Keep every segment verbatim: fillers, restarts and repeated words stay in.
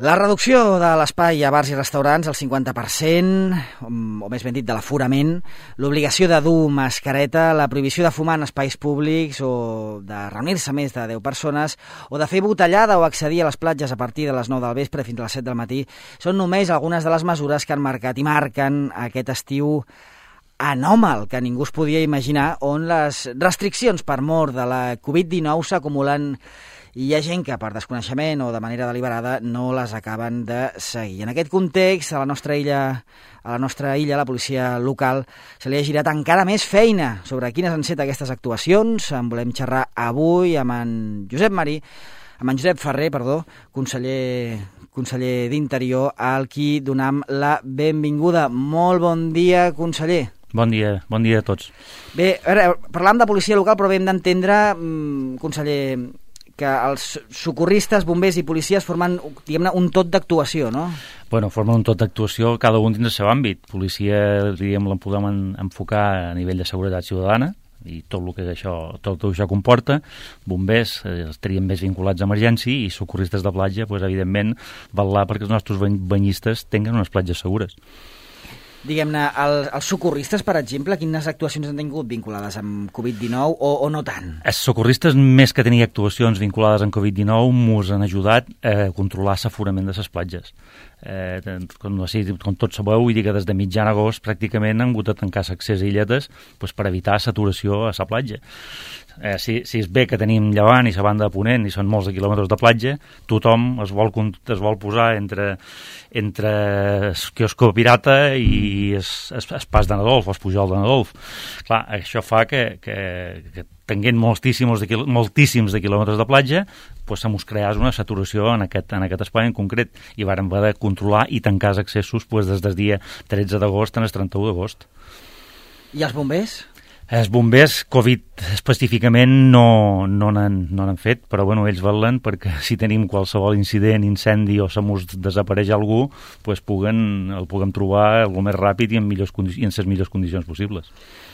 La reducció de l'espai a bars i restaurants al cinquanta per cent, o més ben dit de l'aforament, l'obligació de dur mascareta, la prohibició de fumar en espais públics o de reunir-se més de deu persones o de fer botellada o accedir a les platges a partir de les nou del vespre fins a les set del matí són només algunes de les mesures que han marcat i marquen aquest estiu anòmal que ningú es podia imaginar, on les restriccions per mort de la covid dinou s'acumulen i hi ha gent que per desconeixement o de manera deliberada no les acaben de seguir. En aquest context, a la nostra illa, a la nostra illa, la policia local, se li ha girat encara més feina sobre quines han estat aquestes actuacions. En volem xerrar avui amb en Josep Marí, amb en Josep Ferrer, perdó, conseller, conseller d'Interior, al qui donem la benvinguda. Molt bon dia, conseller. Bon dia, bon dia a tots. Bé, a veure, parlàvem de policia local, però hem d'entendre, conseller, que els socorristes, bombers i policies formen, diguem-ne, un tot d'actuació, no? Bueno, formen un tot d'actuació, cada un dins del seu àmbit. Policia, diríem, la podem enfocar a nivell de seguretat ciutadana, i tot el que això, tot el que això comporta. Bombers eh, estarien més vinculats a emergència, i socorristes de platja, pues, evidentment, vetllar perquè els nostres banyistes tinguin unes platges segures. Diguem-ne, el, els socorristes, per exemple, quines actuacions han tingut vinculades amb covid dinou o, o no tant? Els socorristes, més que tenir actuacions vinculades amb covid dinou, ens han ajudat a controlar l'aforament de les platges. Eh, com, com tots sabeu, vull dir que des de mitjan agost pràcticament han hagut de tancar l'accés a illetes pues, per evitar saturació a la platja. Eh, si, si és bé que tenim llevant i la banda de ponent i són molts de quilòmetres de platja, tothom es vol, es vol posar entre, entre el quiosco pirata i el, el, el pas de Nadolf, el pujol de Nadolf. Clar, això fa que, que, que tenint moltíssims de, quil, moltíssims de quilòmetres de platja, pues, se mos creés una saturació en aquest, en aquest espai en concret, i vàrem haver de controlar i tancar els accessos pues, des del dia tretze d'agost al trenta-u d'agost. I els bombers? Els bombers, Covid específicament, no no n'han no n'han fet, però bueno, ells velen perquè si tenim qualsevol incident, incendi o se mos desapareix algú, pues puguen, el puguem trobar el més ràpid i en, millors i en les millors condicions possibles.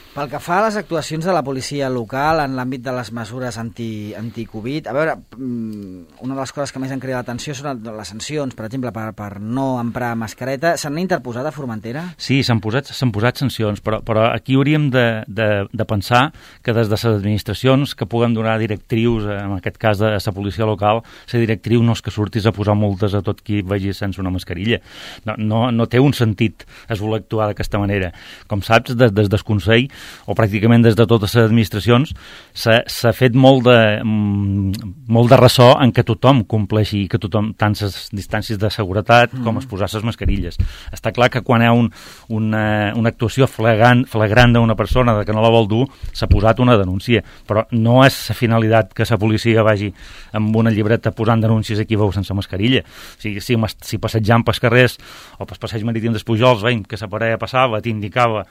Pel que fa a les actuacions de la policia local en l'àmbit de les mesures anti, anti-Covid, a veure, una de les coses que més han cridat l'atenció són les sancions, per exemple, per, per no emprar mascareta. S'han interposat a Formentera? Sí, s'han posat, s'han posat sancions, però, però aquí hauríem de, de, de pensar que des de les administracions que puguem donar directrius, en aquest cas de la policia local, la directriu no és que surtis a posar multes a tot qui vagi sense una mascarilla. No, no, no té un sentit es voler actuar d'aquesta manera. Com saps, des, des del Consell, o pràcticament des de totes les administracions, s'ha fet molt de, molt de ressò en que tothom compleixi, que tothom, tant les distàncies de seguretat com mm. es posar les mascarilles. Està clar que quan hi ha un, una, una actuació flagrant, flagrant d'una persona de que no la vol dur, s'ha posat una denúncia, però no és la finalitat que la policia vagi amb una llibreta posant denúncies aquí veu sense mascarilla. O sigui, si, si passejant pels carrers o pels passeig marítim dels Pujols, veiem que la parella passava, t'indicava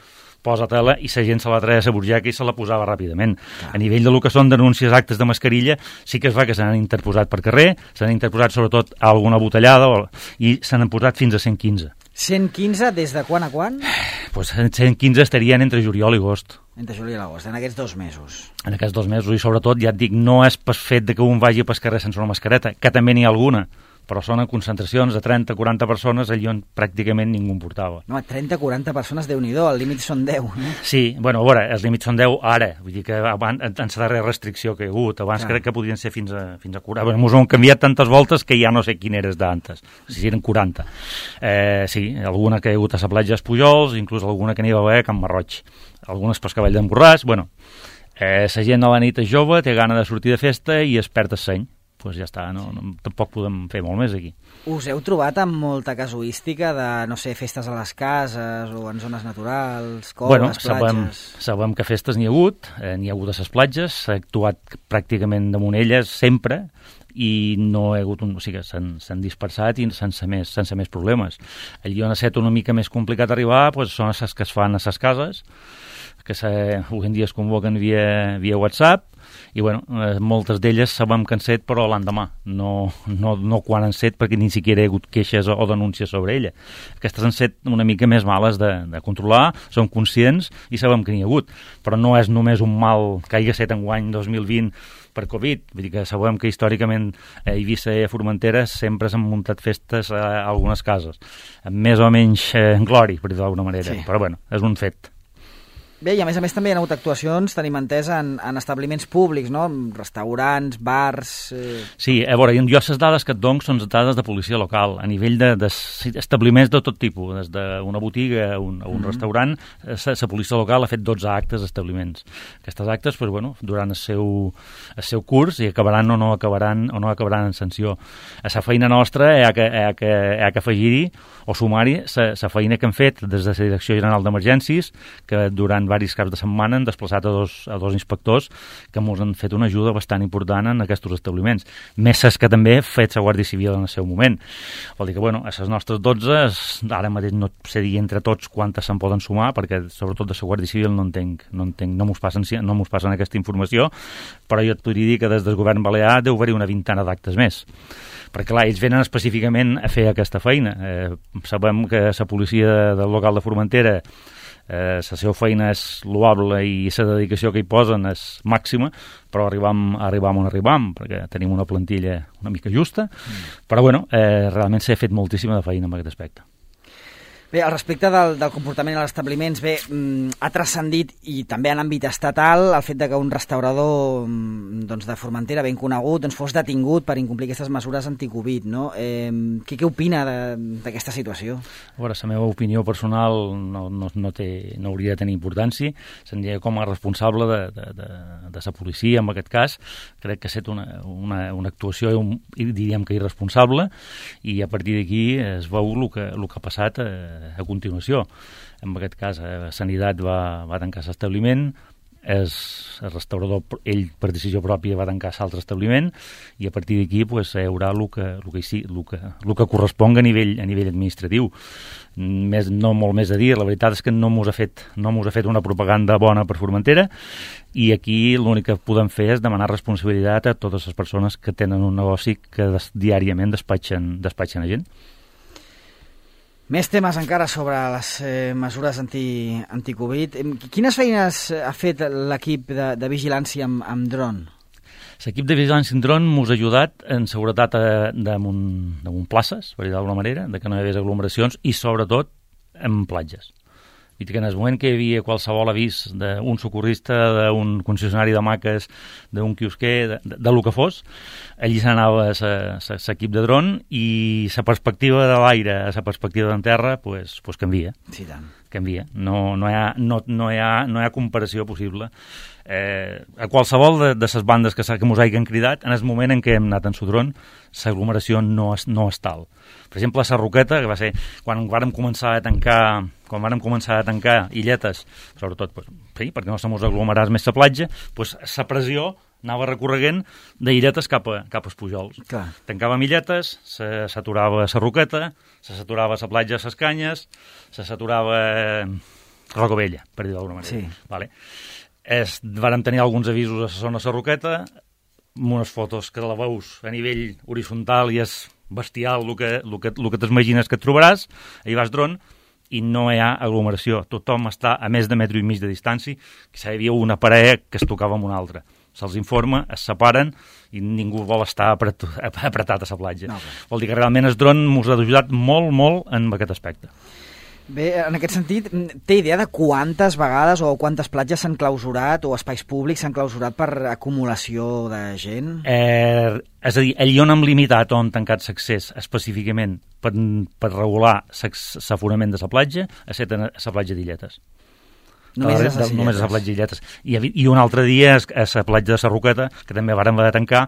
posa-te-la, i la gent se la treia a la burgeca i se la posava ràpidament. Ah. A nivell de lo que són denúncies actes de mascarilla, sí que es va que se n'han interposat per carrer, se n'han interposat sobretot a alguna botellada o, i se n'han posat fins a cent quinze. cent quinze des de quan a quan? Pues cent quinze estarien entre juliol i agost. Entre juliol i agost, en aquests dos mesos. En aquests dos mesos, i sobretot, ja et dic, no és per fet de que un vagi pel carrer sense una mascareta, que també n'hi ha alguna, però són en concentracions de trenta a quaranta persones allà on pràcticament ningú en portava. No, trenta a quaranta persones, Déu-n'hi-do, el límit són deu, no? Sí, bueno, a veure, els límits són deu ara, vull dir que abans, en la darrera restricció que hi ha hagut, abans Clar. crec que podien ser fins a, fins a quaranta. Bueno, ens ho han canviat tantes voltes que ja no sé quin eres d'antes, si eren quaranta. Eh, sí, alguna que hi ha hagut a la platja Pujols, inclús alguna que n'hi va haver a Can Marroig, algunes pel Cavall d'en Borràs, bueno, eh, la gent a la nit és jove, té gana de sortir de festa i es perd el seny. Doncs pues ja està, no, no, tampoc podem fer molt més aquí. Us heu trobat amb molta casuística de, no sé, festes a les cases o en zones naturals, coves, bueno, platges... Sabem, sabem que festes n'hi ha hagut, eh, n'hi ha hagut a les platges, s'ha actuat pràcticament damunt elles sempre, i no hi ha hagut un... O sigui, s'han dispersat i sense més, sense més problemes. Allí on ha estat una mica més complicat arribar pues, són les que es fan a les cases, que avui en dia es convoquen via, via WhatsApp, i bueno, eh, moltes d'elles sabem que han set, però l'endemà, no, no, no quan han set, perquè ni siquiera hi ha hagut queixes o, o denúncies sobre ella. Aquestes han set una mica més males de, de controlar, som conscients i sabem que n'hi ha hagut, però no és només un mal que hagi set enguany dos mil vint per Covid. Vull dir que sabem que històricament a Eivissa i a Formentera sempre s'han muntat festes a algunes cases, amb més o menys eh, glori, per dir d'alguna manera, sí. Però bueno, és un fet. Bé, i a més a més també hi ha hagut actuacions, tenim entès, en, en establiments públics, no? Restaurants, bars... Eh... Sí, a veure, jo les dades que et dono són dades de policia local, a nivell d'establiments de, de tot tipus, des d'una botiga a un, a un mm-hmm. restaurant, la policia local ha fet dotze actes d'establiments. Aquestes actes, pues, bueno, durant el seu, el seu curs, i acabaran o no acabaran o no acabaran en sanció. A la feina nostra hi ha que, hi ha que, hi ha que afegir-hi o sumar-hi la feina que hem fet des de la Direcció General d'Emergències, que durant diversos caps de setmana han desplaçat a dos, a dos inspectors que ens han fet una ajuda bastant important en aquests establiments. Més és que també ha fet la Guàrdia Civil en el seu moment. Vol dir que, bueno, a les nostres dotze, ara mateix no sé dir entre tots quantes se'n poden sumar, perquè sobretot de la Guàrdia Civil no entenc, no entenc, no mos passen, no mos passen aquesta informació, però jo et podria dir que des del govern balear deu haver-hi una vintena d'actes més. Perquè, clar, ells venen específicament a fer aquesta feina. Eh, sabem que la policia del local de Formentera, eh, la seva feina és loable i la dedicació que hi posen és màxima, però arribam, arribam on arribam, perquè tenim una plantilla una mica justa, mm. però, bueno, eh, realment s'ha fet moltíssima de feina en aquest aspecte. Bé, al respecte del, del comportament als establiments, bé, mm, ha transcendit, i també en àmbit estatal, el fet de que un restaurador mm, doncs de Formentera ben conegut doncs fos detingut per incomplir aquestes mesures anticovid, no? Eh, què, què opina d'aquesta situació? A veure, la meva opinió personal no, no, no, té, no hauria de tenir importància. Seria com a responsable de, de, de, de la policia, en aquest cas. Crec que ha estat una, una, una actuació, un, diríem que irresponsable, i a partir d'aquí es veu el que, el que ha passat eh, a continuació. En aquest cas, eh, Sanitat va, va tancar l'establiment, el restaurador, ell per decisió pròpia va tancar l'altre establiment, i a partir d'aquí pues, hi haurà el que, el que, el que, el que corresponga a nivell, a nivell administratiu. Més, no molt més a dir, la veritat és que no mos ha fet, no mos ha fet una propaganda bona per Formentera, i aquí l'únic que podem fer és demanar responsabilitat a totes les persones que tenen un negoci que des, diàriament despatxen, despatxen a gent. Més temes encara sobre les eh, mesures anti, anti-Covid. Quines feines ha fet l'equip de, de vigilància amb, amb dron? L'equip de vigilància amb dron mos ha ajudat en seguretat damunt, damunt places, per dir d'alguna manera, de que no hi hagués aglomeracions, i sobretot en platges. I que en el moment que hi havia qualsevol avís d'un socorrista, d'un concessionari de maques, d'un quiosquer, de, de, de lo que fos, allí s'anava l'equip de dron, i la perspectiva de l'aire a la perspectiva d'en terra pues, pues canvia. Sí, tant. Canvia. No, no, hi ha, no, no, hi ha, no hi ha comparació possible. Eh, a qualsevol de, de les bandes que, que mos hagin cridat, en el moment en què hem anat en Sodron, l'aglomeració no és, no és tal. Per exemple, a Sarroqueta, que va ser quan vàrem començar a tancar, quan vàrem començar a tancar illetes, sobretot pues, sí, perquè no se mos aglomeràs més la platja, pues, la pressió anava recorreguent d'illetes cap a, cap als Pujols. Clar. Tancàvem illetes, se saturava la Roqueta, se saturava la platja de les Canyes, se saturava Roca Vella, per dir d'alguna manera. Sí. Vale. Es, vàrem tenir alguns avisos a la zona de la Roqueta, amb unes fotos que la veus a nivell horitzontal i és bestial el que, el que, el que t'imagines que et trobaràs, hi vas dron, i no hi ha aglomeració. Tothom està a més de metro i mig de distància, que hi havia una parella que es tocava amb una altra. Se'ls informa, es separen i ningú vol estar apret, apretat a la platja. No, vol dir que realment el dron ens ha ajudat molt, molt en aquest aspecte. Bé, en aquest sentit, té idea de quantes vegades o quantes platges s'han clausurat o espais públics s'han clausurat per acumulació de gent? Eh, és a dir, allí on hem limitat o han tancat l'accés específicament per, per regular l'aforament de la platja, ha estat a la platja d'Illetes. Només, de, de, només a la platja d'Illetes. I, I un altre dia a la platja de la Roqueta, que també vàrem haver de tancar,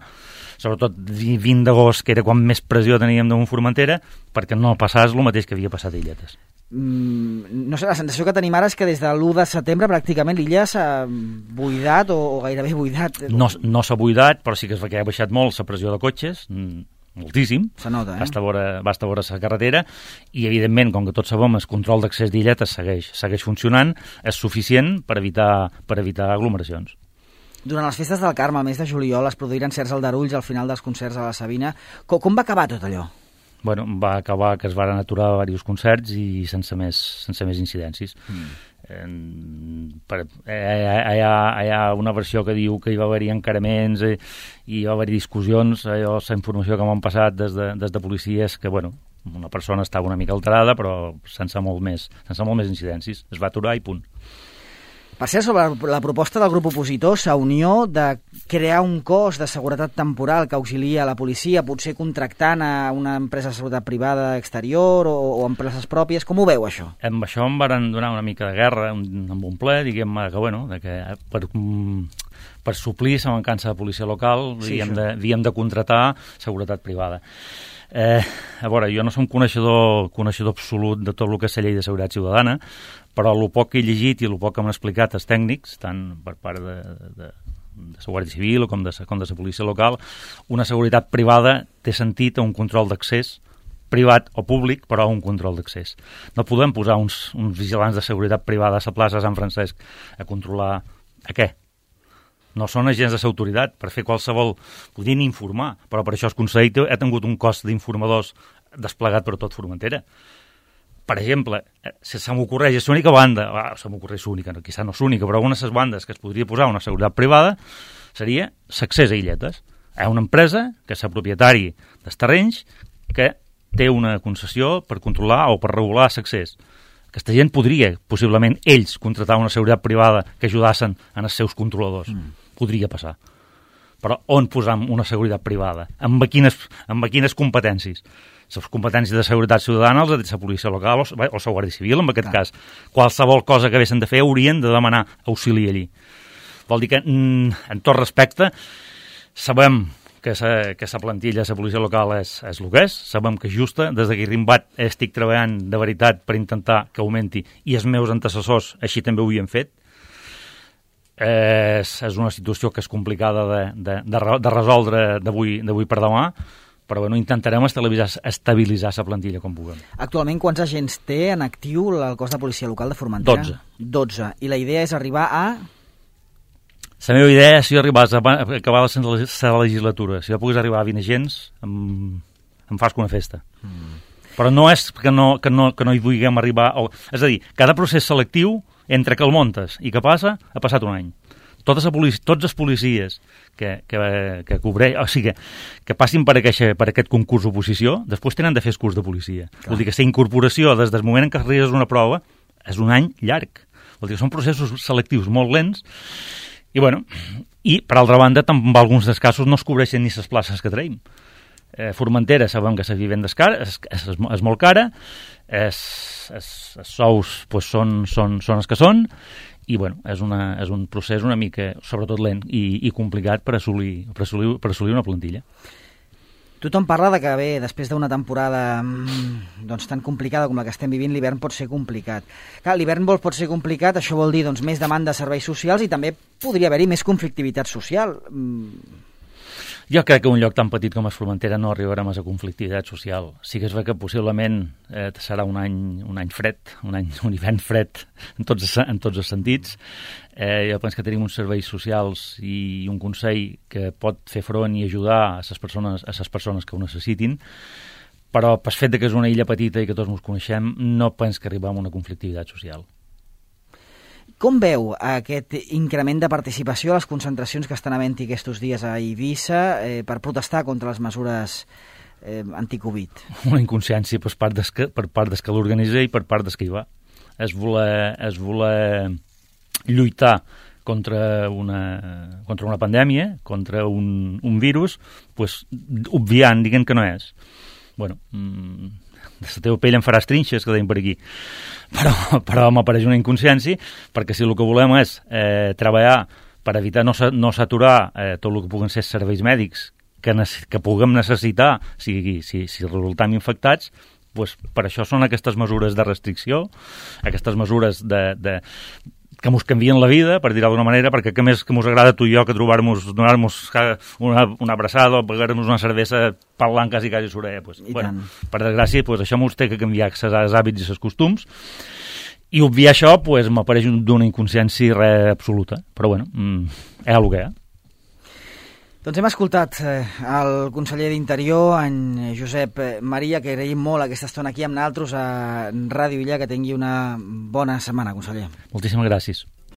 sobretot vint d'agost, que era quan més pressió teníem damunt Formentera, perquè no passàs el mateix que havia passat a Illetes. Mm, no sé, la sensació que tenim ara és que des de l'u de setembre pràcticament l'illa s'ha buidat o, o gairebé buidat. No, no s'ha buidat, però sí que es va que ha baixat molt la pressió de cotxes, moltíssim. Se nota, eh? Basta veure, basta veure la carretera, i evidentment, com que tots sabem, el control d'accés d'Illetes segueix, segueix funcionant, és suficient per evitar, per evitar aglomeracions. Durant les festes del Carme, al mes de juliol, es produïren certs aldarulls al final dels concerts a la Sabina. Com, com va acabar tot allò? Bueno, va acabar que es van aturar diversos concerts i sense més, sense més incidències. Mm. Eh, per, eh, hi, ha, hi ha una versió que diu que hi va haver-hi encaraments eh, i hi va haver-hi discussions. Allò, la informació que m'han passat des de, des de policia és que, bueno, una persona estava una mica alterada, però sense molt més, sense molt més incidències. Es va aturar i punt. Per cert, sobre la proposta del grup opositor, Sa Unió, de crear un cos de seguretat temporal que auxilia la policia, potser contractant a una empresa de seguretat privada exterior o, o empreses pròpies, com ho veu, això? Amb això em van donar una mica de guerra amb un ple, diguem-me que, bueno, de que per, per suplir la mancança de policia local sí, havíem, de, havíem de contratar seguretat privada. Eh, a veure, jo no som coneixedor, coneixedor absolut de tot el que és la llei de seguretat ciutadana, però el poc que he llegit i el poc que m'han explicat els tècnics, tant per part de, de, de la Guàrdia Civil com de, com de la policia local, una seguretat privada té sentit a un control d'accés privat o públic, però un control d'accés. No podem posar uns, uns vigilants de seguretat privada a la plaça de Sant Francesc a controlar a què? No són agents de l'autoritat per fer qualsevol... Podrien informar, però per això el Consell ha tingut un cos d'informadors desplegat per tot Formentera. Per exemple, si se m'ocorreix, és l'única banda, ah, se m'ocorreix l'única, no, quizà no és l'única, però una de les bandes que es podria posar una seguretat privada seria l'accés a illetes. Hi ha una empresa que és el propietari dels terrenys que té una concessió per controlar o per regular l'accés. Aquesta gent podria, possiblement, ells contratar una seguretat privada que ajudassin en els seus controladors. Mm. Podria passar. Però on posam una seguretat privada? Amb quines, amb quines competències? Les competències de seguretat ciutadana, els de la policia local o, o la Guàrdia Civil, en aquest Clar. cas. Qualsevol cosa que haguessin de fer haurien de demanar auxili allí. Vol dir que, en tot respecte, sabem que la que plantilla de la policia local és, és el que és, sabem que és justa, des que he rimbat estic treballant de veritat per intentar que augmenti, i els meus antecessors així també ho havien fet. És, és una situació que és complicada de, de, de, de resoldre d'avui per demà, però bueno, intentarem estabilitzar, estabilitzar la plantilla com puguem. Actualment, quants agents té en actiu el cos de policia local de Formentera? Dotze. Dotze. I la idea és arribar a... La meva idea és si arribàs a acabar la legislatura. Si jo pogués arribar a vint agents, em, em fas una festa. Mm. Però no és que no, que no, que no hi vulguem arribar... O, és a dir, cada procés selectiu, entre que el montes i que passa, ha passat un any. Totes a policia, tots els policies que, que, que cobreix, o sigui, que passin per aquest, per aquest concurs d'oposició, després tenen de fer el curs de policia. Clar. Vol dir que la incorporació des del moment en què arribes una prova és un any llarg. Vol dir que són processos selectius molt lents i, bueno, i per altra banda, en alguns dels casos no es cobreixen ni les places que traiem. Eh, Formentera sabem que la vivenda és, cara, és, és, és molt cara, és, és, els sous pues, són, són, són els que són, i bueno, és, una, és un procés una mica, sobretot lent i, i complicat per assolir, per, assolir, per assolir una plantilla. Tothom parla de que bé, després d'una temporada doncs, tan complicada com la que estem vivint, l'hivern pot ser complicat. Clar, l'hivern vol pot ser complicat, això vol dir doncs, més demanda de serveis socials i també podria haver-hi més conflictivitat social. Jo crec que un lloc tan petit com és Formentera no arribarem a la conflictivitat social. Sí que és ver que possiblement eh, serà un any, un any fred, un, any, un hivern fred en tots, en tots els sentits. Eh, jo penso que tenim uns serveis socials i un Consell que pot fer front i ajudar a les persones, a les persones que ho necessitin, però pel fet que és una illa petita i que tots ens coneixem, no penso que arribem a una conflictivitat social. Com veu aquest increment de participació a les concentracions que estan havent-hi aquests dies a Eivissa eh, per protestar contra les mesures eh, anti-Covid? Una inconsciència per part des que, per part des que l'organitza i per part des que hi va. És voler, és voler lluitar contra una, contra una pandèmia, contra un, un virus, pues, obviant, diguem que no és. Bueno, mmm, de la teva pell en faràs trinxes, que deim per aquí. Però, però m'apareix una inconsciència, perquè si el que volem és eh, treballar per evitar no, no saturar eh, tot el que puguen ser serveis mèdics que, que puguem necessitar si, si, si resultam infectats, pues, per això són aquestes mesures de restricció, aquestes mesures de, de, que ens canvien la vida, per dir-ho d'alguna manera, perquè que més que ens agrada tu i jo que trobar-nos, donar-nos una, una abraçada o pagar-nos una cervesa parlant quasi quasi s'orella. Pues, bueno, per desgràcia, pues, això ens té que canviar els hàbits i els costums, i obviar això pues, m'apareix d'una inconsciència res absoluta, però bueno, mm, és el que és. Doncs hem escoltat eh, el conseller d'Interior, en Josep Maria, que agraïm molt aquesta estona aquí amb nosaltres a Ràdio Illa. Que tingui una bona setmana, conseller. Moltíssimes gràcies.